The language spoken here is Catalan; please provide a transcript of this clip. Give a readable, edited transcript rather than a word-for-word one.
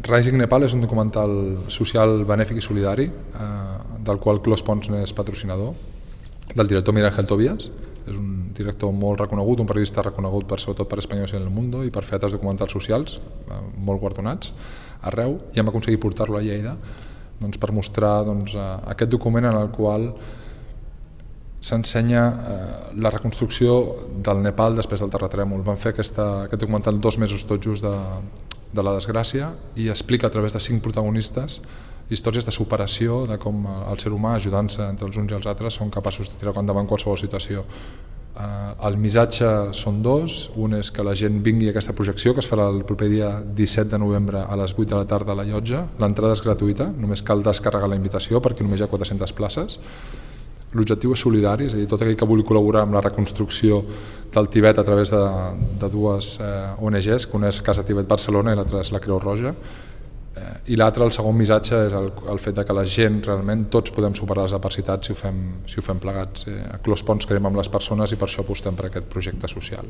Rising Nepal és un documental social, benèfic i solidari, del qual Clos Pons n'és patrocinador, del director Miguel Ángel Tobías. És un director molt reconegut, un periodista reconegut sobretot per Españoles en el Mundo i per fer altres documentals socials, molt guardonats arreu, i hem aconseguit portar-lo a Lleida per mostrar aquest document en el qual s'ensenya la reconstrucció del Nepal després del terratrèmol. Vam fer aquest documental 2 mesos tot just de la desgràcia i explica a través de 5 protagonistes històries de superació, de com el ser humà, ajudant-se entre els uns i els altres, són capaços de tirar endavant qualsevol situació. El missatge són 2, un és que la gent vingui a aquesta projecció, que es farà el proper dia 17 de novembre a les 8 de la tarda a la Llotja. L'entrada és gratuïta, només cal descarregar la invitació perquè només hi ha 400 places. L'objectiu és solidari, és a dir, tot aquell que vulgui col·laborar amb la reconstrucció del Tibet a través de 2 ONGs, que una és Casa Tibet Barcelona i l'altra és la Creu Roja. I l'altre, el segon missatge, és el fet que la gent, realment, tots podem superar les adversitats si ho fem plegats. A Clos Pons creiem en les persones i per això apostem per aquest projecte social.